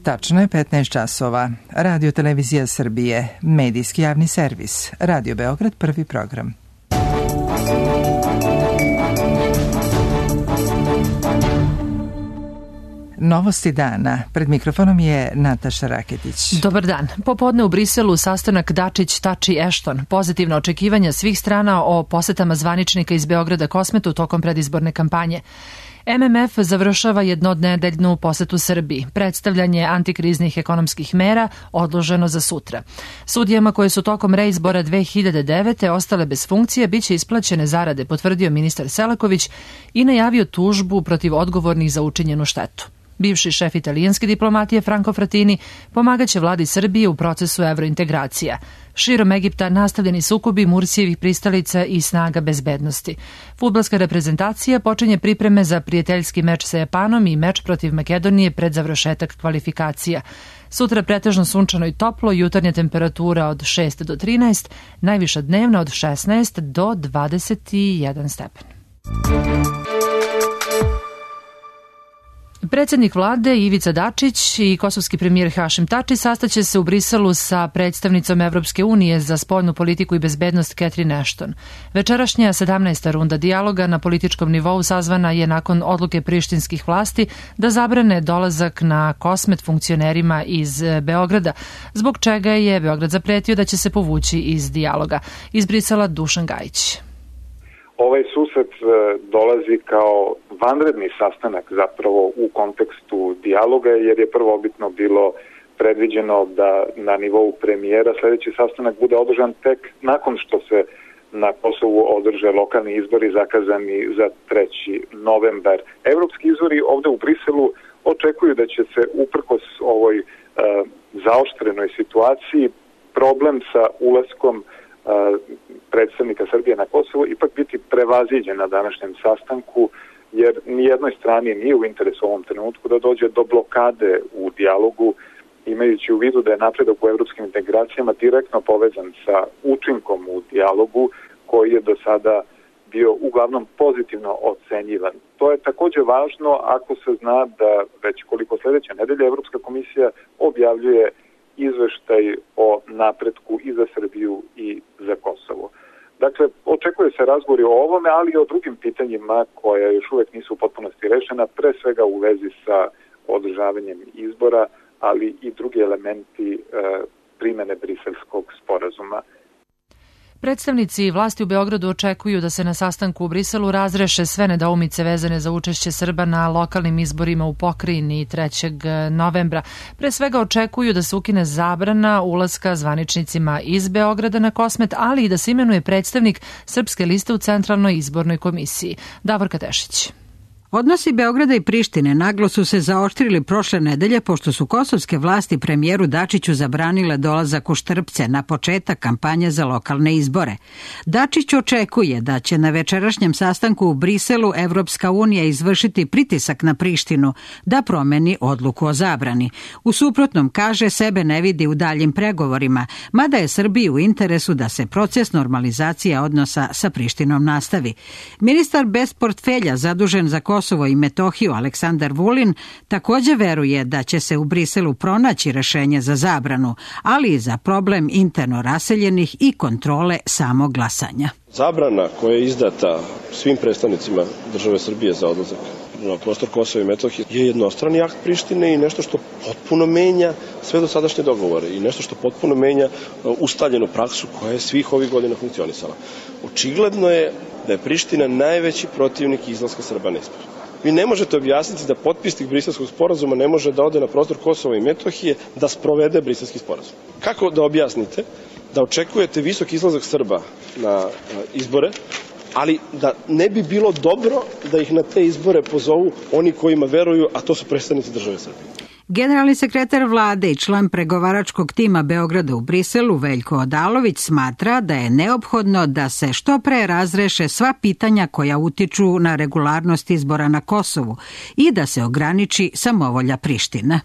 Tačno je 15 časova. Radio Televizija Srbije, medijski javni servis. Radio Beograd, prvi program. Novosti dana. Pred mikrofonom je Nataša Raketić. Dobar dan. Popodne u Briselu sastanak Dačić-Tači-Ešton. Pozitivna očekivanja svih strana o posetama zvaničnika iz Beograda Kosmetu tokom predizborne kampanje. MMF završava jednonedeljnu posetu Srbiji. Predstavljanje antikriznih ekonomskih mera odloženo za sutra. Sudijama koje su tokom reizbora 2009. ostale bez funkcije biće isplaćene zarade, potvrdio ministar Selaković i najavio tužbu protiv odgovornih za učinjenu štetu. Bivši šef italijanske diplomatije Franco Frattini pomagaće vladi Srbije u procesu evrointegracija. Širom Egipta nastavljeni sukobi Mursijevih pristalica i snaga bezbednosti. Fudbalska reprezentacija počinje pripreme za prijateljski meč sa Japanom i meč protiv Makedonije pred završetak kvalifikacija. Sutra pretežno sunčano i toplo, jutarnja temperatura od 6 do 13, najviša dnevna od 16 do 21 stepen. Predsjednik vlade Ivica Dačić i kosovski premijer Hašim Tači sastaće se u Briselu sa predstavnicom Evropske unije za spoljnu politiku i bezbednost Catherine Ashton. Večerašnja 17. runda dijaloga na političkom nivou sazvana je nakon odluke prištinskih vlasti da zabrane dolazak na Kosmet funkcionerima iz Beograda, zbog čega je Beograd zapretio da će se povući iz dijaloga. Iz Brisela Dušan Gajić. Ovaj susret dolazi kao vanredni sastanak zapravo u kontekstu dijaloga, jer je prvobitno bilo predviđeno da na nivou premijera sljedeći sastanak bude održan tek nakon što se na Kosovu održe lokalni izbori zakazani za 3. novembar. Evropski izbori ovde u Briselu očekuju da će se uprkos ovoj zaoštrenoj situaciji problem sa ulaskom predstavnika Srbije na Kosovo ipak biti prevaziđen na današnjem sastanku, jer nijednoj strani nije u interesu u ovom trenutku da dođe do blokade u dijalogu, imajući u vidu da je napredak u evropskim integracijama direktno povezan sa učinkom u dijalogu koji je do sada bio uglavnom pozitivno ocenjivan. To je također važno ako se zna da već koliko sljedeće nedelje Evropska komisija objavljuje izveštaj o napretku i za Srbiju i za Kosovo. Dakle, očekuje se razgovori o ovome, ali i o drugim pitanjima koja još uvijek nisu u potpunosti rešena, pre svega u vezi sa održavanjem izbora, ali i drugi elementi primene Briselskog sporazuma. Predstavnici vlasti u Beogradu očekuju da se na sastanku u Briselu razreše sve nedoumice vezane za učešće Srba na lokalnim izborima u pokrajini 3. novembra. Pre svega očekuju da se ukine zabrana ulaska zvaničnicima iz Beograda na Kosmet, ali i da se imenuje predstavnik Srpske liste u Centralnoj izbornoj komisiji. Davorka Tešić. Odnosi Beograda i Prištine naglo su se zaoštrili prošle nedelje pošto su kosovske vlasti premijeru Dačiću zabranile dolazak u Štrpce na početak kampanje za lokalne izbore. Dačić očekuje da će na večerašnjem sastanku u Briselu Evropska unija izvršiti pritisak na Prištinu da promeni odluku o zabrani. U suprotnom, kaže, sebe ne vidi u daljim pregovorima, mada je Srbiji u interesu da se proces normalizacije odnosa sa Prištinom nastavi. Ministar bez portfelja zadužen za Kosovo i Metohiju Aleksandar Vulin također veruje da će se u Briselu pronaći rešenje za zabranu, ali i za problem interno raseljenih i kontrole samog glasanja. Zabrana koja je izdata svim predstavnicima države Srbije za odlazak na prostor Kosova i Metohije je jednostrani akt Prištine i nešto što potpuno menja sve dosadašnje dogovore i nešto što potpuno menja ustaljenu praksu koja je svih ovih godina funkcionisala. Očigledno je da je Priština najveći protivnik izlaska Srba na izbore. Vi ne možete objasniti da potpisnik Briselskog sporazuma ne može da ode na prostor Kosova i Metohije da sprovede Briselski sporazum. Kako da objasnite da očekujete visok izlazak Srba na izbore, ali da ne bi bilo dobro da ih na te izbore pozovu oni kojima veruju, a to su predstavnici države Srbije? Generalni sekretar vlade i član pregovaračkog tima Beograda u Briselu Veljko Odalović smatra da je neophodno da se što pre razreše sva pitanja koja utiču na regularnost izbora na Kosovu i da se ograniči samovolja Prištine.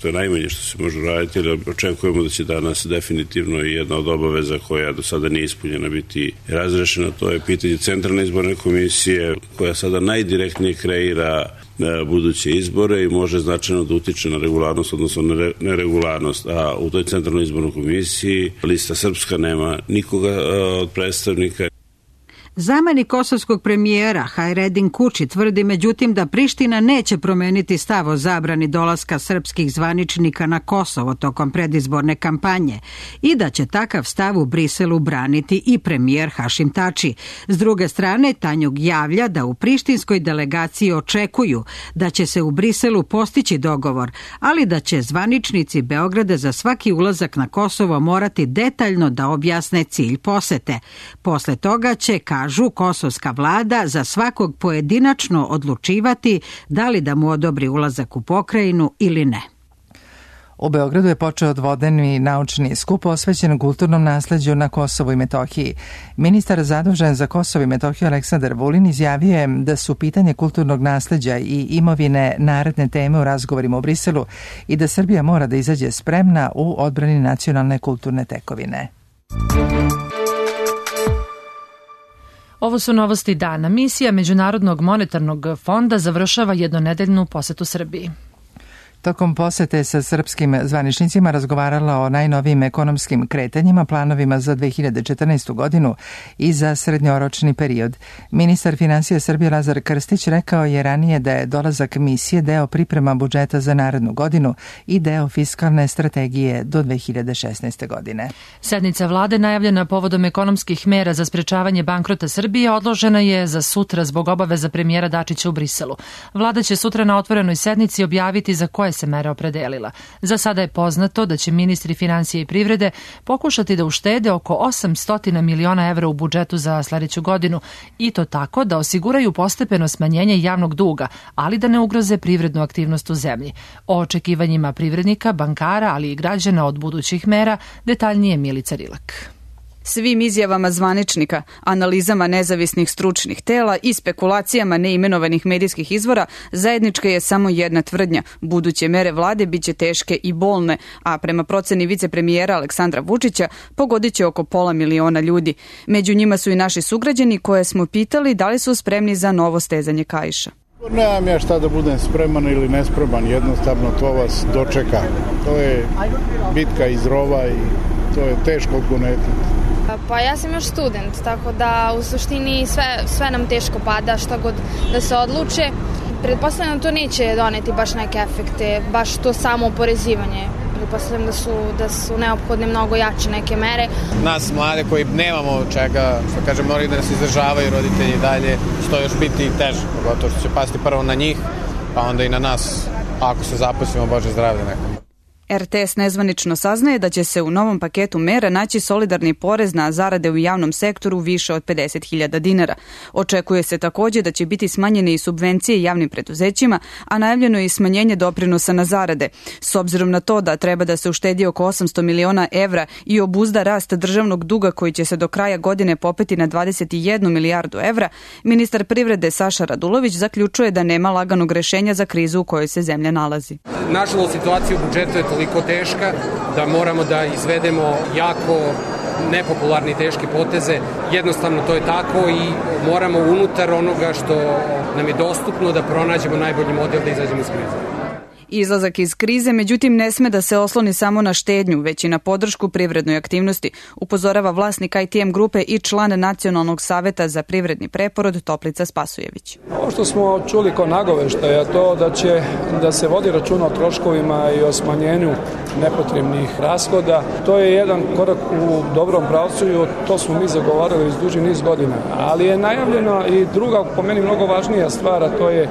To je najmanje što se može raditi, ali očekujemo da će danas definitivno i jedna od obaveza koja do sada nije ispunjena biti razrešena. To je pitanje Centralne izborne komisije koja sada najdirektnije kreira buduće izbore i može značajno da utiče na regularnost, odnosno neregularnost. A u toj Centralnoj izbornoj komisiji lista Srpska nema nikoga od predstavnika. Zamenik kosovskog premijera Hajredin Kuči tvrdi međutim da Priština neće promeniti stav o zabrani dolaska srpskih zvaničnika na Kosovo tokom predizborne kampanje i da će takav stav u Briselu braniti i premijer Hašim Tači. S druge strane, Tanjug javlja da u prištinskoj delegaciji očekuju da će se u Briselu postići dogovor, ali da će zvaničnici Beograda za svaki ulazak na Kosovo morati detaljno da objasne cilj posete. Posle toga će, kažu, kosovska vlada za svakog pojedinačno odlučivati da li da mu odobri ulazak u pokrajinu ili ne. U Beogradu je počeo dvodnevni naučni skup posvećen kulturnom nasleđu na Kosovu i Metohiji. Ministar zadužen za Kosovo i Metohiju Aleksandar Vulin izjavio je da su pitanje kulturnog nasleđa i imovine naredne teme u razgovorima u Briselu i da Srbija mora da izađe spremna u odbrani nacionalne kulturne tekovine. Ovo su novosti dana. Misija Međunarodnog monetarnog fonda završava jednonedeljnu posetu Srbiji. Tokom posete sa srpskim zvaničnicima razgovarala o najnovijim ekonomskim kretanjima, planovima za 2014. godinu i za srednjoročni period. Ministar finansija Srbije Lazar Krstić rekao je ranije da je dolazak misije deo priprema budžeta za narednu godinu i deo fiskalne strategije do 2016. godine. Sednica vlade najavljena povodom ekonomskih mera za sprečavanje bankrota Srbije odložena je za sutra zbog obaveza premijera Dačića u Briselu. Vlada će sutra na otvorenoj sednici objaviti za koje se mere opredelila. Za sada je poznato da će ministri finansije i privrede pokušati da uštede oko 800 miliona evra u budžetu za sledeću godinu i to tako da osiguraju postepeno smanjenje javnog duga, ali da ne ugroze privrednu aktivnost u zemlji. O očekivanjima privrednika, bankara, ali i građana od budućih mera detaljnije Milica Rilak. Svim izjavama zvaničnika, analizama nezavisnih stručnih tela i spekulacijama neimenovanih medijskih izvora, zajednička je samo jedna tvrdnja. Buduće mere vlade biće teške i bolne, a prema proceni vicepremijera Aleksandra Vučića pogodit će oko 500.000 ljudi. Među njima su i naši sugrađani koje smo pitali da li su spremni za novo stezanje kaiša. Nemam ja šta da budem spreman ili nespreman, jednostavno to vas dočeka. To je bitka iz rova i to je teško odgonetiti. Pa ja sam još student, tako da u suštini sve nam teško pada, šta god da se odluče. Pretpostavljam da to neće doneti baš neke efekte, baš to samo oporezivanje. Pretpostavljam da su neophodne mnogo jače neke mere. Nas mlade koji nemamo čega, što kažem, moraju da nas izdržavaju roditelji dalje, što još biti teže, pogotovo što će pasti prvo na njih, pa onda i na nas, ako se zaposlimo, Bože zdravlje nekom. RTS nezvanično saznaje da će se u novom paketu mera naći solidarni porez na zarade u javnom sektoru više od 50.000 dinara. Očekuje se takođe da će biti smanjene i subvencije javnim preduzećima, a najavljeno je i smanjenje doprinosa na zarade. S obzirom na to da treba da se uštedi oko 800 miliona evra i obuzda rast državnog duga koji će se do kraja godine popeti na 21 milijardu evra, ministar privrede Saša Radulović zaključuje da nema laganog rešenja za krizu u kojoj se zemlja nalazi. Nažalost, situacija u budžetu je toliko teška da moramo da izvedemo jako nepopularne i teške poteze. Jednostavno to je tako i moramo unutar onoga što nam je dostupno da pronađemo najbolji model da izađemo iz krize. Izlazak iz krize, međutim, ne sme da se osloni samo na štednju, već i na podršku privrednoj aktivnosti, upozorava vlasnik ITM grupe i član Nacionalnog saveta za privredni preporod Toplica Spasujević. Ovo što smo čuli kao nagoveštaj je to da se vodi računa o troškovima i o smanjenju nepotrebnih rashoda. To je jedan korak u dobrom pravcu i to smo mi zagovarali iz duži niz godina. Ali je najavljeno i druga, po meni mnogo važnija stvar, a to je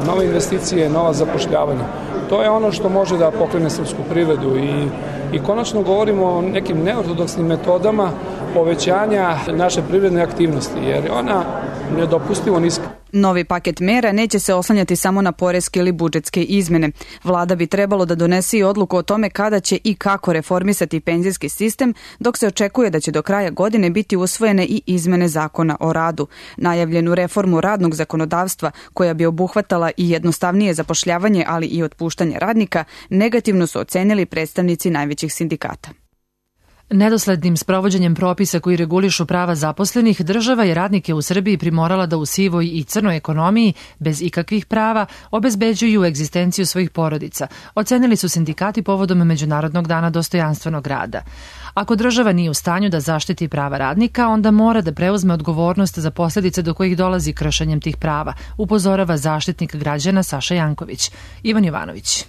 nove investicije, nova zapošljavanja. To je ono što može da pokrene srpsku privredu i konačno govorimo o nekim neortodoksnim metodama povećanja naše privredne aktivnosti, jer je ona nedopustivo niska. Novi paket mera neće se oslanjati samo na poreske ili budžetske izmene. Vlada bi trebalo da donese i odluku o tome kada će i kako reformisati penzijski sistem, dok se očekuje da će do kraja godine biti usvojene i izmene zakona o radu. Najavljenu reformu radnog zakonodavstva, koja bi obuhvatala i jednostavnije zapošljavanje, ali i otpuštanje radnika, negativno su ocenili predstavnici najvećih sindikata. Nedoslednim sprovođenjem propisa koji regulišu prava zaposlenih, država je radnike u Srbiji primorala da u sivoj i crnoj ekonomiji, bez ikakvih prava, obezbeđuju egzistenciju svojih porodica, ocenili su sindikati povodom Međunarodnog dana dostojanstvenog rada. Ako država nije u stanju da zaštiti prava radnika, onda mora da preuzme odgovornost za posljedice do kojih dolazi kršenjem tih prava, upozorava zaštitnik građana Saša Janković. Ivan Jovanović.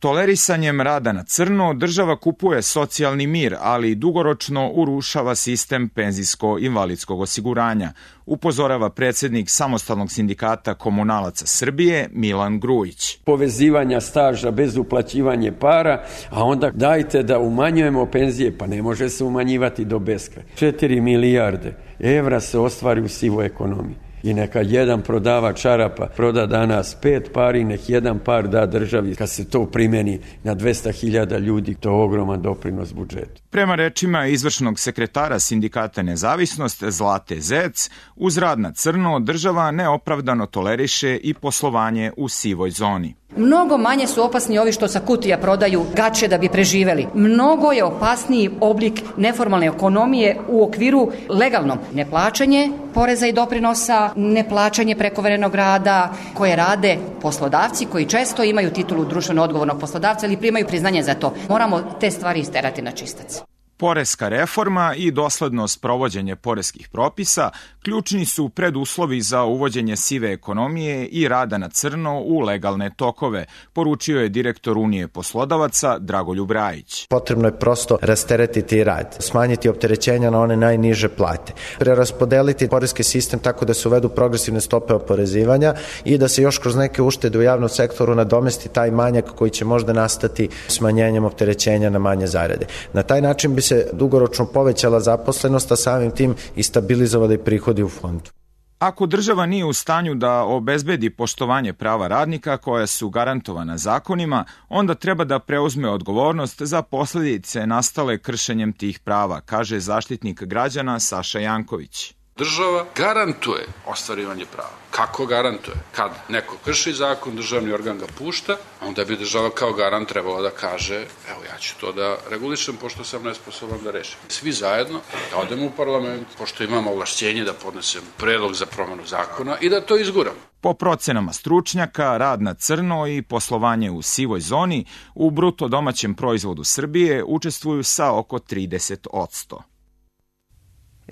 Tolerisanjem rada na crno država kupuje socijalni mir, ali dugoročno urušava sistem penzijsko-invalidskog osiguranja, upozorava predsjednik Samostalnog sindikata komunalaca Srbije Milan Grujić. Povezivanja staža bez uplaćivanja para, a onda dajte da umanjujemo penzije, pa ne može se umanjivati do beskraja. 4 milijarde evra se ostvari u sivoj ekonomiji. I neka jedan prodavač čarapa proda danas 5 pari, nek jedan par da državi. Kad se to primeni na 200.000 ljudi, to je ogroman doprinos budžetu. Prema rečima izvršnog sekretara sindikata Nezavisnost Zlate Zec, uz rad na crno država neopravdano toleriše i poslovanje u sivoj zoni. Mnogo manje su opasni ovi što sa kutija prodaju gače da bi preživeli. Mnogo je opasniji oblik neformalne ekonomije u okviru legalnom. Neplaćanje poreza i doprinosa, neplaćanje prekovremenoga rada koje rade poslodavci koji često imaju titulu društveno odgovornog poslodavca ili primaju priznanje za to. Moramo te stvari isterati na čistac. Poreska reforma i dosledno sprovođenje poreskih propisa ključni su preduslovi za uvođenje sive ekonomije i rada na crno u legalne tokove, poručio je direktor Unije poslodavaca Dragoljub Rajić. Potrebno je prosto rasteretiti rad, smanjiti opterećenja na one najniže plate, preraspodeliti poreski sistem tako da se uvedu progresivne stope oporezivanja i da se još kroz neke uštede u javnom sektoru nadomesti taj manjak koji će možda nastati smanjenjem opterećenja na manje zarade. Na taj način bi se dugoročno povećala zaposlenost, a samim tim i stabilizovali prihodi u fondu. Ako država nije u stanju da obezbedi poštovanje prava radnika koja su garantovana zakonima, onda treba da preuzme odgovornost za posljedice nastale kršenjem tih prava, kaže zaštitnik građana Saša Janković. Država garantuje ostvarivanje prava. Kako garantuje? Kad neko krši zakon, državni organ ga pušta, onda bi država kao garant trebala da kaže, evo ja ću to da regulišem pošto sam nesposoban da rešim. Svi zajedno da odemo u parlament, pošto imamo ovlašćenje da podnesemo predlog za promenu zakona i da to izguramo. Po procenama stručnjaka, rad na crno i poslovanje u sivoj zoni u bruto domaćem proizvodu Srbije učestvuju sa oko 30%.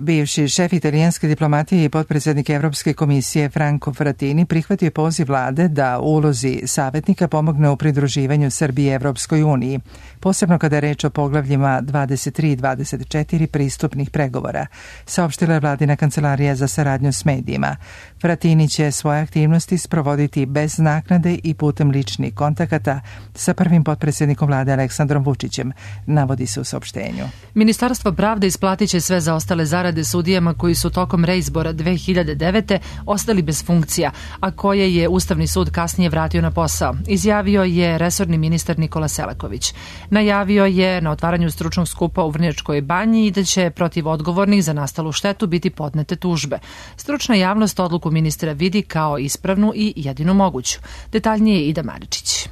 Bivši šef italijanske diplomatije i potpredsjednik Evropske komisije Franco Frattini prihvatio poziv vlade da u ulozi savjetnika pomogne u pridruživanju Srbije Evropskoj uniji, posebno kada je reč o poglavljima 23 i 24 pristupnih pregovora, saopštila je vladina kancelarija za saradnju s medijima. Frattini će svoje aktivnosti sprovoditi bez naknade i putem ličnih kontakata sa prvim potpredsjednikom vlade Aleksandrom Vučićem, navodi se u saopštenju. Ministarstvo pravde isplatit će sve zaostale zarade sudijama koji su tokom reizbora 2009. ostali bez funkcija, a koje je Ustavni sud kasnije vratio na posao, izjavio je resorni ministar Nikola Selaković. Najavio je na otvaranju stručnog skupa u Vrnjačkoj banji i da će protiv odgovornih za nastalu štetu biti podnete tužbe. Stručna javnost odluku ministra vidi kao ispravnu i jedinu moguću. Detaljnije Ida Maričić.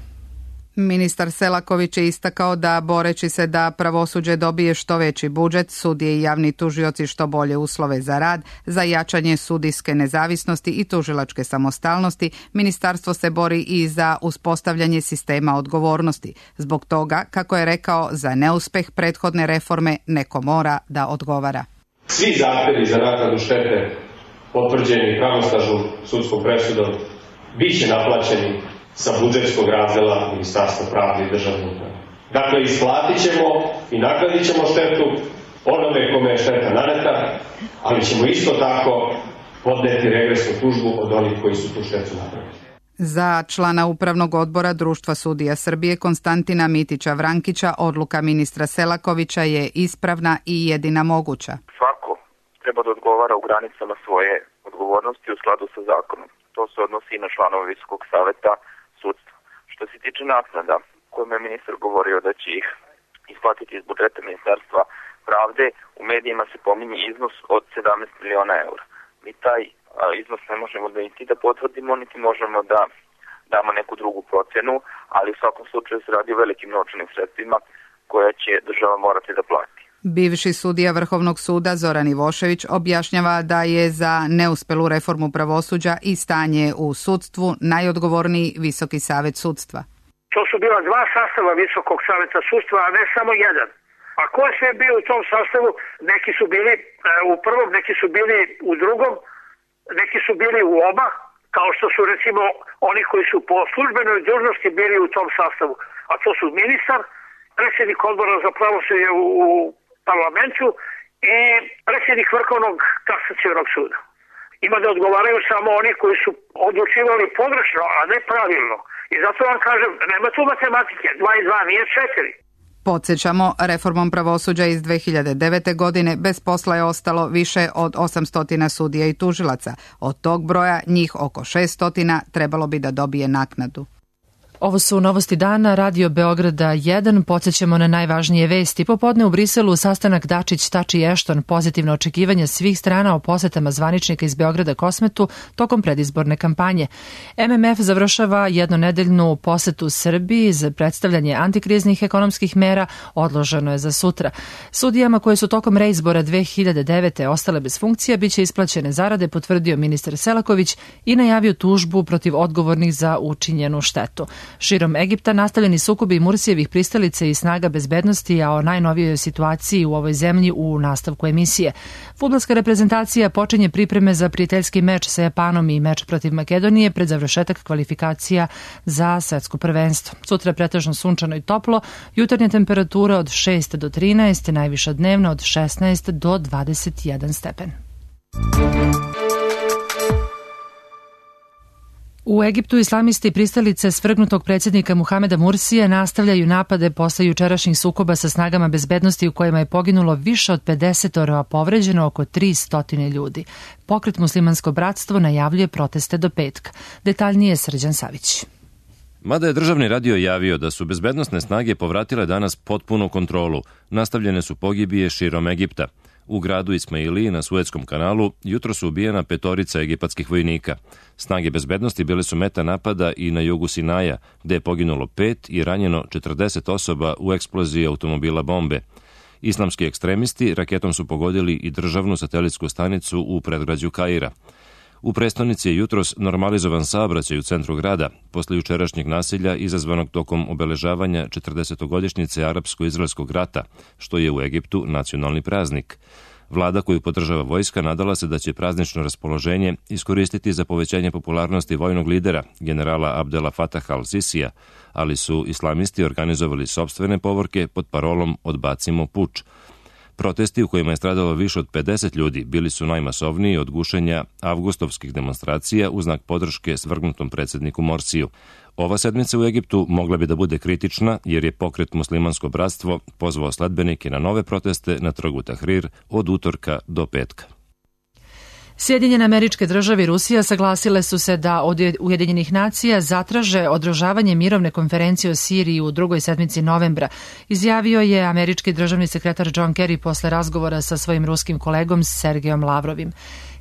Ministar Selaković je istakao da, boreći se da pravosuđe dobije što veći budžet, sudije i javni tužioci što bolje uslove za rad, za jačanje sudijske nezavisnosti i tužilačke samostalnosti, ministarstvo se bori i za uspostavljanje sistema odgovornosti. Zbog toga, kako je rekao, za neuspeh prethodne reforme neko mora da odgovara. Svi zahtevi za naknadu štete potvrđeni pravosnažnom sudskom presudom biće naplaćeni sa budžetskog razdela Ministarstva pravde i državne uprave. Dakle, isplatit ćemo i naknadit ćemo štetu onome kome je šteta naneta, ali ćemo isto tako podneti regresnu tužbu od onih koji su tu štetu napravili. Za člana Upravnog odbora Društva sudija Srbije Konstantina Mitića Vrankića odluka ministra Selakovića je ispravna i jedina moguća. Svako treba da odgovara u granicama svoje odgovornosti odgovornosti u skladu sa zakonom. To se odnosi i na članove Visokog saveta sudstva. Što se tiče naknada, kojima je ministar govorio da će ih isplatiti iz budžeta Ministarstva pravde, u medijima se pominje iznos od 17 miliona eura. Mi taj iznos ne možemo da niti da potvrdimo, niti možemo da damo neku drugu procenu, ali u svakom slučaju se radi o velikim novčanim sredstvima koja će država morati da plati. Bivši sudija Vrhovnog suda Zoran Ivošević objašnjava da je za neuspelu reformu pravosuđa i stanje u sudstvu najodgovorniji Visoki savet sudstva. To su bila dva sastava Visokog saveta sudstva, a ne samo jedan. A ko je sve bio u tom sastavu? Neki su bili u prvom, neki su bili u drugom, neki su bili u oba, kao što su recimo oni koji su po službenoj dužnosti bili u tom sastavu. A to su ministar, predsjednik odbora za pravosuđe u parlamentu i predsjednik Vrhovnog kasacionog suda. Ima da odgovaraju samo oni koji su odlučivali pogrešno, a ne pravilno. I zato vam kažem, nema tu matematike, 2 i 2 nije 4. Podsjećamo, reformom pravosuđa iz 2009. godine bez posla je ostalo više od 800 sudija i tužilaca. Od tog broja njih oko 600 trebalo bi da dobije naknadu. Ovo su novosti dana, Radio Beograda 1, podsjećamo na najvažnije vesti. Popodne u Briselu sastanak Dačić-Tači-Ešton, pozitivno očekivanje svih strana o posetama zvaničnika iz Beograda Kosmetu tokom predizborne kampanje. MMF završava jednonedeljnu posetu Srbiji za predstavljanje antikriznih ekonomskih mera, odloženo je za sutra. Sudijama koje su tokom reizbora 2009. ostale bez funkcija biće isplaćene zarade, potvrdio ministar Selaković i najavio tužbu protiv odgovornih za učinjenu štetu. Širom Egipta nastavljeni sukobi Mursijevih pristalica i snaga bezbednosti, a o najnovijoj situaciji u ovoj zemlji u nastavku emisije. Fudbalska reprezentacija počinje pripreme za prijateljski meč sa Japanom i meč protiv Makedonije pred završetak kvalifikacija za svetsko prvenstvo. Sutra je pretežno sunčano i toplo, jutarnja temperatura od 6 do 13, najviša dnevna od 16 do 21 stepen. U Egiptu islamisti pristalice svrgnutog predsjednika Muhameda Mursija nastavljaju napade posle jučerašnjih sukoba sa snagama bezbednosti u kojima je poginulo više od 50, a povređeno oko 300 ljudi. Pokret Muslimansko bratstvo najavljuje proteste do petka. Detaljnije Srđan Savić. Mada je državni radio javio da su bezbednosne snage povratile danas potpunu kontrolu, nastavljene su pogibije širom Egipta. U gradu Ismailiji na Suetskom kanalu jutro su ubijena 5 egipatskih vojnika. Snage bezbednosti bile su meta napada i na jugu Sinaja, gde je poginulo 5 i ranjeno 40 osoba u eksploziji automobila bombe. Islamski ekstremisti raketom su pogodili i državnu satelitsku stanicu u predgrađu Kaira. U prestonici je jutros normalizovan saobraćaj u centru grada, posle jučerašnjeg nasilja izazvanog tokom obeležavanja 40-godišnjice Arapsko-izraelskog rata, što je u Egiptu nacionalni praznik. Vlada koju podržava vojska nadala se da će praznično raspoloženje iskoristiti za povećanje popularnosti vojnog lidera, generala Abdela Fataha al-Sisija, ali su islamisti organizovali sopstvene povorke pod parolom "Odbacimo puč". Protesti u kojima je stradalo više od 50 ljudi bili su najmasovniji od gušenja avgustovskih demonstracija u znak podrške svrgnutom predsjedniku Morsiju. Ova sedmica u Egiptu mogla bi da bude kritična jer je pokret Muslimansko bratstvo pozvao sledbenike na nove proteste na trgu Tahrir od utorka do petka. Sjedinjene Američke Države i Rusija saglasile su se da od Ujedinjenih nacija zatraže održavanje mirovne konferencije o Siriji u drugoj sedmici novembra, izjavio je američki državni sekretar John Kerry posle razgovora sa svojim ruskim kolegom Sergejom Lavrovim.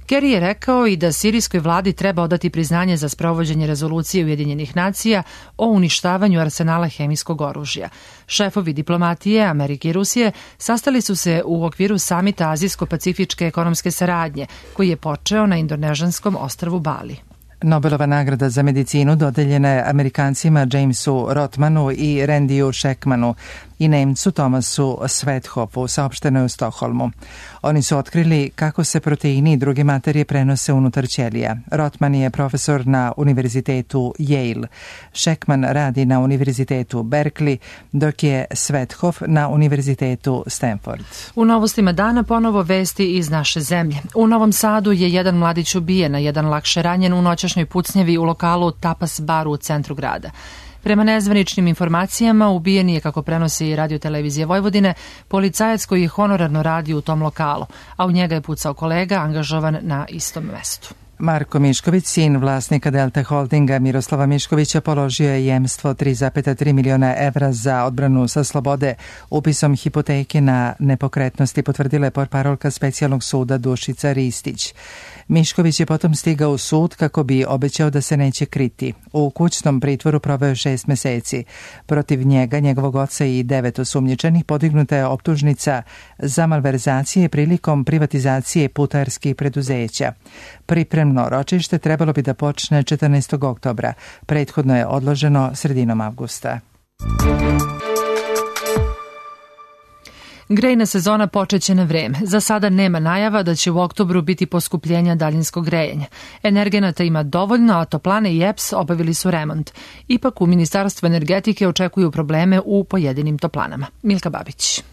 Kerry je rekao i da sirijskoj vladi treba odati priznanje za sprovođenje rezolucije Ujedinjenih nacija o uništavanju arsenala hemijskog oružja. Šefovi diplomatije Amerike i Rusije sastali su se u okviru samita Azijsko-pacifičke ekonomske saradnje, koji je počeo na indonežanskom ostrvu Bali. Nobelova nagrada za medicinu dodeljena je Amerikancima Jamesu Rothmanu i Randiju Sheckmanu i Nemcu Thomasu Svethofu, saopšteno je u Stokholmu. Oni su otkrili kako se proteini i druge materije prenose unutar ćelija. Rothman je profesor na univerzitetu Yale. Sheckman radi na univerzitetu Berkeley, dok je Svethof na univerzitetu Stanford. U novostima dana ponovo vesti iz naše zemlje. U Novom Sadu je jedan mladić ubijen, a jedan lakše ranjen u noćašnjoj pucnjevi u lokalu Tapas Bar u centru grada. Prema nezvaničnim informacijama, ubijen je, kako prenosi Radio Televizije Vojvodine, policajac koji je honorarno radio u tom lokalu, a u njega je pucao kolega angažovan na istom mestu. Marko Mišković, sin vlasnika Delta Holdinga Miroslava Miškovića, položio je jemstvo 3,3 miliona evra za odbranu sa slobode upisom hipoteke na nepokretnosti, potvrdila je portparolka specijalnog suda Dušica Ristić. Mišković je potom stigao u sud kako bi obećao da se neće kriti. U kućnom pritvoru proveo 6 meseci. Protiv njega, njegovog oca i 9 osumnjičenih podignuta je optužnica za malverzacije prilikom privatizacije putarskih preduzeća. Pripremno ročište trebalo bi da počne 14. oktobra. Prethodno je odloženo sredinom avgusta. Grejna sezona počeće na vreme. Za sada nema najava da će u oktobru biti poskupljenja daljinskog grejanja. Energenata ima dovoljno, a toplane i EPS obavili su remont. Ipak u Ministarstvu energetike očekuju probleme u pojedinim toplanama. Milka Babić.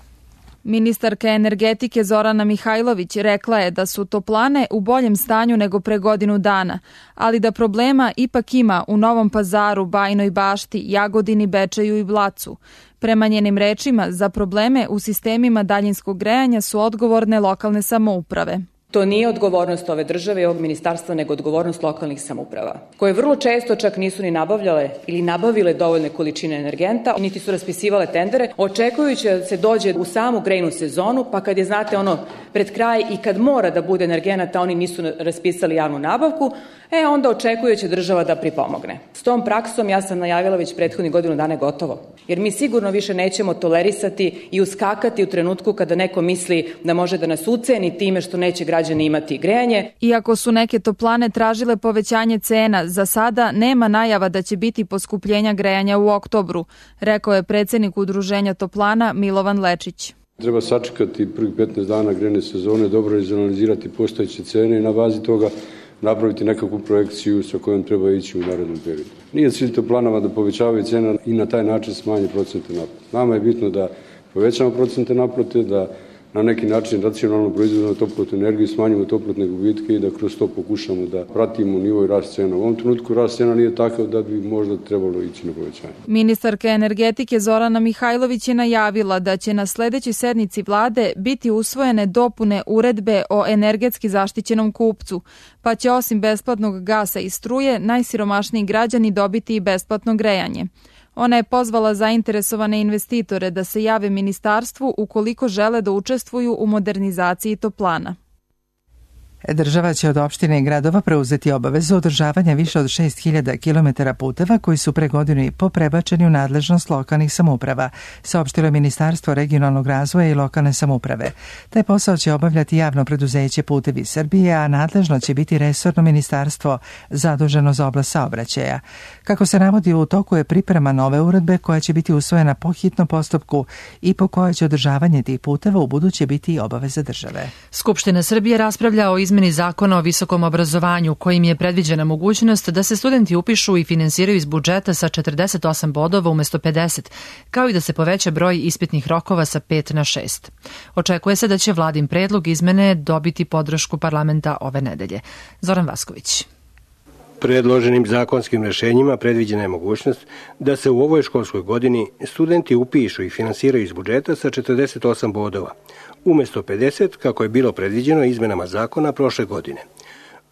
Ministarka energetike Zorana Mihajlović rekla je da su toplane u boljem stanju nego pre godinu dana, ali da problema ipak ima u Novom Pazaru, Bajinoj Bašti, Jagodini, Bečeju i Blacu. Prema njenim rečima, za probleme u sistemima daljinskog grejanja su odgovorne lokalne samouprave. To nije odgovornost ove države i ovog ministarstva, nego odgovornost lokalnih samouprava, koje vrlo često čak nisu ni nabavljale ili nabavile dovoljne količine energenta, niti su raspisivale tendere, očekujući da se dođe u samu grejnu sezonu, pa kad je, znate, pred kraj i kad mora da bude energenata, oni nisu raspisali javnu nabavku, onda očekujući država da pripomogne. S tom praksom, ja sam najavila već prethodnih godinu dana, gotovo. Jer mi sigurno više nećemo tolerisati i uskakati u trenutku kada neko misli da može da nas uceni time što neće građani imati grejanje. Iako su neke toplane tražile povećanje cena, za sada nema najava da će biti poskupljenja grejanja u oktobru, rekao je predsjednik Udruženja toplana Milovan Lečić. Treba sačekati prvih 15 dana grejne sezone, dobro izanalizirati postojeće cene i na bazi toga napraviti nekakvu projekciju sa kojom treba ići u narednom periodu. Nije cilj toplanama da povećavaju cene i na taj način smanje procente naplate. Nama je bitno da povećamo procente naplate, da na neki način racionalno proizvodimo toplotnu energiju, smanjimo toplotne gubitke i da kroz to pokušamo da pratimo nivo i rast cena. U ovom trenutku rast cena nije takav da bi možda trebalo ići na povećanje. Ministarka energetike Zorana Mihajlović je najavila da će na sledećoj sednici vlade biti usvojene dopune uredbe o energetski zaštićenom kupcu, pa će osim besplatnog gasa i struje najsiromašniji građani dobiti i besplatno grejanje. Ona je pozvala zainteresovane investitore da se jave ministarstvu ukoliko žele da učestvuju u modernizaciji toplana. Država će od opštine i gradova preuzeti obavezu održavanja više od 6.000 km puteva koji su pre godinu i po prebačeni u nadležnost lokalnih samouprava, saopštilo je Ministarstvo regionalnog razvoja i lokalne samouprave. Taj posao će obavljati javno preduzeće Putevi Srbije, a nadležno će biti resorno ministarstvo zaduženo za oblast saobraćaja. Kako se navodi, u toku je priprema nove uredbe koja će biti usvojena po hitnom postupku i po kojoj će održavanje tih puteva u buduće biti obaveza države. Skupština Srbije raspravlja o izmeni zakona o visokom obrazovanju, kojim je predviđena mogućnost da se studenti upišu i finansiraju iz budžeta sa 48 bodova umesto 50, kao i da se poveća broj ispitnih rokova sa 5 na 6. Očekuje se da će vladin predlog izmene dobiti podršku parlamenta ove nedelje. Zoran Vasković. Predloženim zakonskim rešenjima predviđena je mogućnost da se u ovoj školskoj godini studenti upišu i finansiraju iz budžeta sa 48 bodova, umesto 50 kako je bilo predviđeno izmenama zakona prošle godine.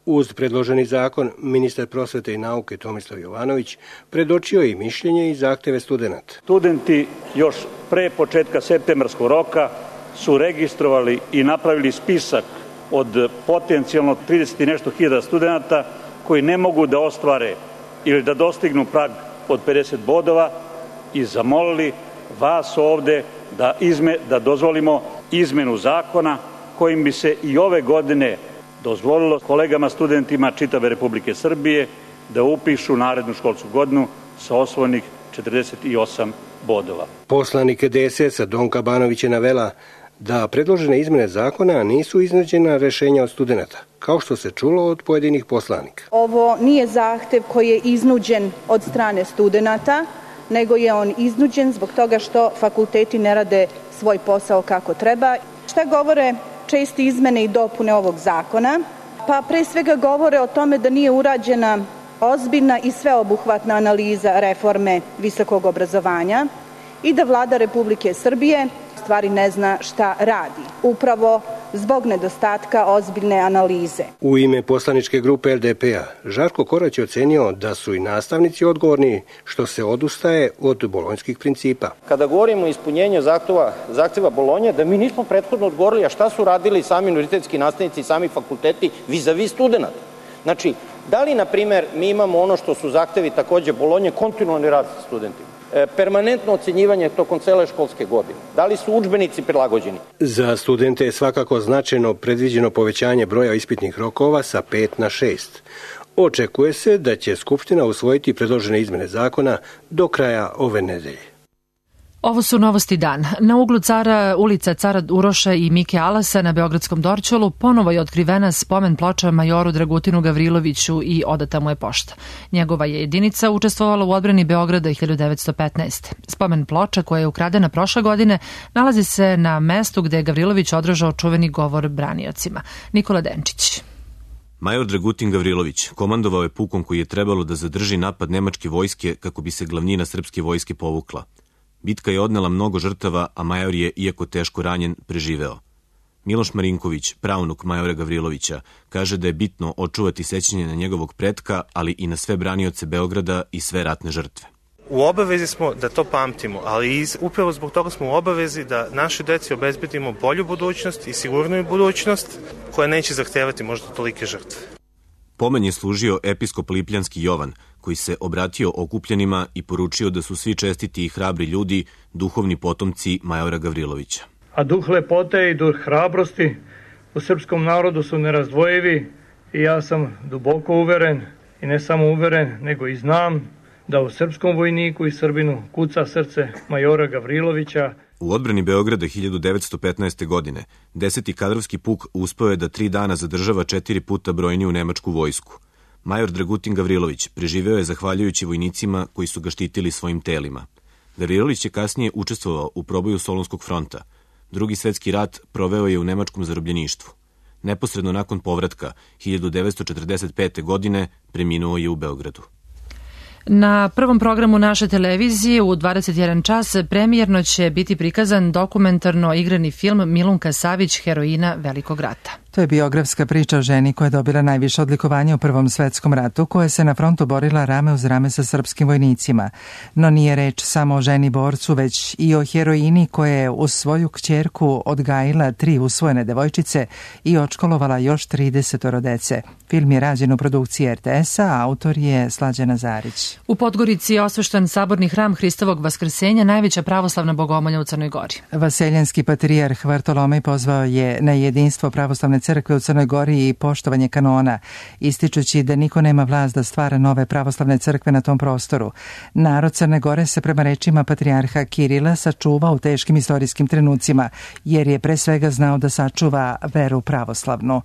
Uz predloženi zakon, ministar prosvete i nauke Tomislav Jovanović predočio je i mišljenje i zahteve studenta. Studenti još pre početka septembarskog roka su registrovali i napravili spisak od potencijalno 30 i nešto hiljada studenta koji ne mogu da ostvare ili da dostignu prag od 50 bodova i zamolili vas ovde da dozvolimo izmenu zakona kojim bi se i ove godine dozvolilo kolegama studentima čitave Republike Srbije da upišu narednu školsku godinu sa osvojenih 48 bodova. Poslanik DSS-a Donka Banović je navela da predložene izmene zakona nisu iznuđena rešenja od studenta, kao što se čulo od pojedinih poslanika. Ovo nije zahtev koji je iznuđen od strane studenta, nego je on iznuđen zbog toga što fakulteti ne rade svoj posao kako treba. Šta govore česte izmene i dopune ovog zakona? Pa pre svega govore o tome da nije urađena ozbiljna i sveobuhvatna analiza reforme visokog obrazovanja i da Vlada Republike Srbije stvari ne zna šta radi. Upravo zbog nedostatka ozbiljne analize. U ime poslaničke grupe LDP-a Žarko Korać je ocenio da su i nastavnici odgovorni što se odustaje od bolonjskih principa. Kada govorimo o ispunjenju zahteva Bolonje, da mi nismo prethodno odgovorili, a šta su radili sami univerzitetski nastavnici i sami fakulteti vis-a-vis studenta. Znači, da li, na primer, mi imamo ono što su zahtevi takođe Bolonje, kontinualni rad sa studentima? Permanentno ocenjivanje tokom cele školske godine. Da li su udžbenici prilagođeni? Za studente je svakako značajno predviđeno povećanje broja ispitnih rokova sa 5 na 6. Očekuje se da će Skupština usvojiti predložene izmene zakona do kraja ove nedelje. Ovo su novosti dan. Na uglu ulica Cara Uroša i Mike Alasa na Beogradskom Dorćolu ponovo je otkrivena spomen ploča majoru Dragutinu Gavriloviću i odata mu je pošta. Njegova je jedinica učestvovala u odbrani Beograda 1915. Spomen ploča, koja je ukradena prošle godine, nalazi se na mestu gde je Gavrilović održao čuveni govor braniocima. Nikola Denčić. Major Dragutin Gavrilović komandovao je pukom koji je trebalo da zadrži napad nemačke vojske kako bi se glavnina srpske vojske povukla. Bitka je odnela mnogo žrtava, a major je, iako teško ranjen, preživeo. Miloš Marinković, pravnuk majora Gavrilovića, kaže da je bitno očuvati sećanje na njegovog pretka, ali i na sve branioce Beograda i sve ratne žrtve. U obavezi smo da to pamtimo, ali upravo zbog toga smo u obavezi da našoj deci obezbedimo bolju budućnost i sigurniju budućnost koja neće zahtevati možda tolike žrtve. Pomen je služio episkop Lipljanski Jovan, koji se obratio okupljenima i poručio da su svi čestiti i hrabri ljudi, duhovni potomci majora Gavrilovića. A duh lepote i duh hrabrosti u srpskom narodu su nerazdvojivi i ja sam duboko uveren, i ne samo uveren, nego i znam da u srpskom vojniku i Srbinu kuca srce majora Gavrilovića. U odbrani Beograda 1915. godine 10. kadrovski puk uspeo je da 3 dana zadržava 4 puta brojniju nemačku vojsku. Major Dragutin Gavrilović preživeo je zahvaljujući vojnicima koji su ga štitili svojim telima. Gavrilović je kasnije učestvovao u proboju Solunskog fronta. Drugi svetski rat proveo je u nemačkom zarobljeništvu. Neposredno nakon povratka 1945. godine preminuo je u Beogradu. Na prvom programu naše televizije u 21 čas premijerno će biti prikazan dokumentarno igrani film Milunka Savić, heroina Velikog rata. To je biografska priča o ženi koja je dobila najviše odlikovanje u Prvom svetskom ratu, koja se na frontu borila rame uz rame sa srpskim vojnicima. No nije reč samo o ženi borcu, već i o heroini koja je uz svoju kćerku odgajila 3 usvojene devojčice i odškolovala još 30 dece. Film je rađen u produkciji RTS-a, a autor je Slađana Zarić. U Podgorici je osvešten saborni hram Hristovog vaskrsenja, najveća pravoslavna bogomolja u Crnoj Gori. Vaseljenski patrijarh Vartolomej pozvao je na jedinstvo pravoslavne crkve u Crnoj Gori i poštovanje kanona, ističući da niko nema vlast da stvara nove pravoslavne crkve na tom prostoru. Narod Crne Gore se prema rečima patrijarha Kirila sačuva u teškim istorijskim trenucima, jer je pre svega znao da sačuva veru pravoslavnu.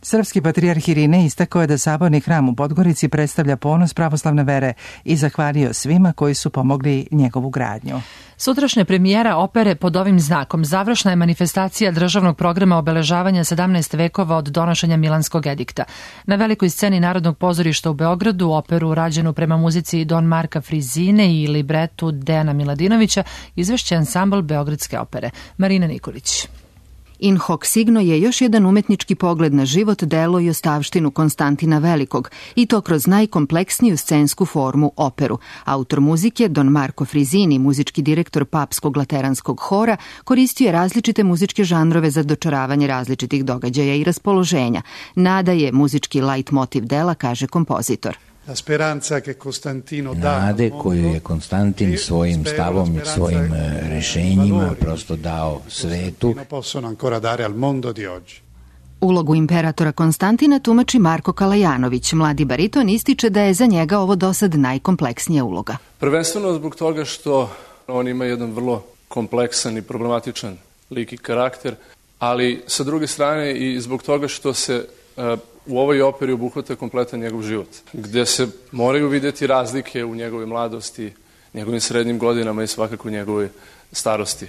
Srpski patrijarh Irine istakao je da saborni hram u Podgorici predstavlja ponos pravoslavne vere i zahvalio svima koji su pomogli njegovu gradnju. Sutrašnja premijera opere Pod ovim znakom završna je manifestacija državnog programa obeležavanja 17 vekova od donošenja Milanskog edikta. Na velikoj sceni Narodnog pozorišta u Beogradu operu rađenu prema muzici Don Marka Frizine i libretu Dejana Miladinovića izvešće ansambl Beogradske opere. Marina Nikolić. In hoc signo je još jedan umetnički pogled na život, delo i ostavštinu Konstantina Velikog, i to kroz najkompleksniju scensku formu, operu. Autor muzike, Don Marko Frizini, muzički direktor Papskog lateranskog hora, koristio je različite muzičke žanrove za dočaravanje različitih događaja i raspoloženja. Nada je muzički lajt motiv dela, kaže kompozitor. Nade koju je Konstantin svojim stavom i svojim rešenjima prosto dao svetu. Ulogu imperatora Konstantina tumači Marko Kalajanović. Mladi bariton ističe da je za njega ovo dosad najkompleksnija uloga. Prvenstveno zbog toga što on ima jedan vrlo kompleksan i problematičan lik i karakter, ali sa druge strane i zbog toga što se u ovoj operi obuhvata kompletan njegov život, gde se moraju vidjeti razlike u njegovoj mladosti, njegovim srednjim godinama i svakako u njegovoj starosti.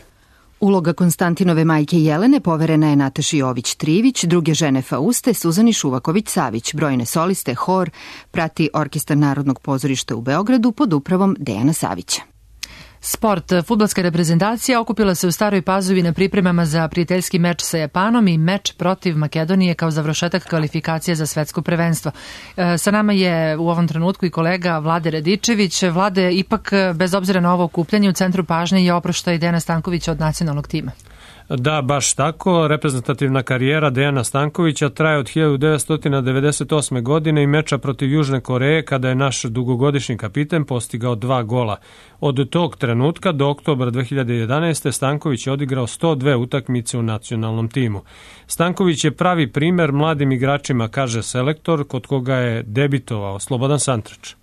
Uloga Konstantinove majke Jelene poverena je Nataši Jović-Trivić, druge žene Fauste, Suzani Šuvaković-Savić, brojne soliste, hor, prati Orkestar Narodnog pozorišta u Beogradu pod upravom Dejana Savića. Sport. Fudbalska reprezentacija okupila se u Staroj Pazovi na pripremama za prijateljski meč sa Japanom i meč protiv Makedonije kao završetak kvalifikacije za svetsko prvenstvo. Sa nama je u ovom trenutku i kolega Vlade Radičević. Vlade, ipak bez obzira na ovo okupljanje u centru pažnje je oproštaj Dejana Stankovića od nacionalnog tima. Da, baš tako. Reprezentativna karijera Dejana Stankovića traje od 1998. godine i meča protiv Južne Koreje kada je naš dugogodišnji kapiten postigao 2 gola. Od tog trenutka do oktobra 2011. Stanković je odigrao 102 utakmice u nacionalnom timu. Stanković je pravi primer mladim igračima, kaže selektor, kod koga je debitovao Slobodan Santrač.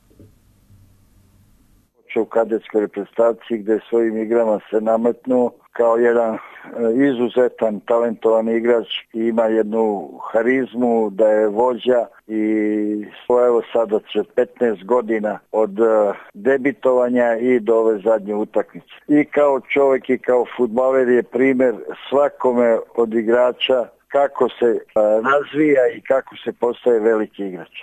U kadetskoj reprezentaciji gde svojim igrama se nametnuo kao jedan izuzetan, talentovan igrač i ima jednu harizmu da je vođa i evo sada će 15 godina od debitovanja i do ove zadnje utakmice. I kao čovjek i kao fudbaler je primjer svakome od igrača kako se razvija i kako se postaje veliki igrač.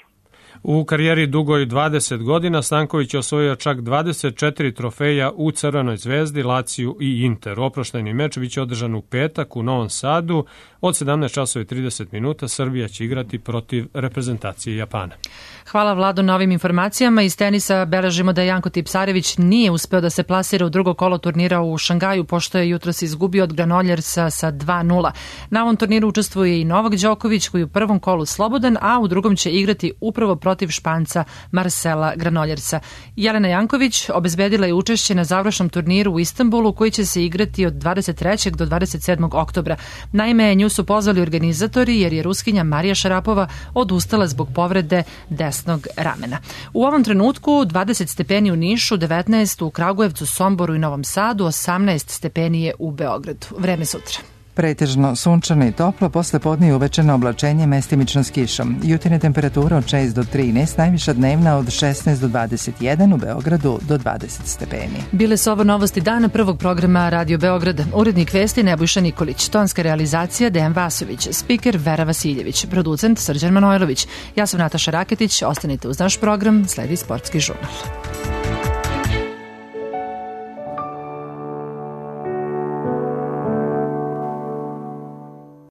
U karijeri dugoj 20 godina Stanković je osvojio čak 24 trofeja u Crvenoj Zvezdi, Laciju i Interu. Oproštajni meč biće održan u petak u Novom Sadu. Od 17:30 minuta Srbija će igrati protiv reprezentacije Japana. Hvala Vlado na ovim informacijama. Iz tenisa beležimo da Janko Tipsarević nije uspeo da se plasira u drugo kolo turnira u Šangaju, pošto je jutros izgubio od Granoljersa sa 2:0. Na ovom turniru učestvuje i Novak Đoković, koji je u prvom kolu slobodan, a u drugom će igrati upravo protiv Španca Marcela Granoljersa. Jelena Janković obezbedila je učešće na završnom turniru u Istanbulu, koji će se igrati od 23. do 27. oktobra. Naime, nju su pozvali organizatori jer je Ruskinja Marija Šarapova odustala zbog povrede desnog ramena. U ovom trenutku 20 stepeni u Nišu, 19 u Kragujevcu, Somboru i Novom Sadu, 18 stepeni je u Beogradu. Vreme sutra. Pretežno sunčano i toplo, posle podne i uvečerno oblačenje mestimično s kišom. Jutarnja temperatura od 6 do 13, najviša dnevna od 16 do 21, u Beogradu do 20 stepeni. Bile su ovo novosti dana prvog programa Radio Beograda. Urednik vesti Nebojša Nikolić, tonska realizacija Dejan Vasović, spiker Vera Vasiljević, producent Srđan Manojlović. Ja sam Nataša Raketić, ostanite uz naš program, sledi Sportski žurnal.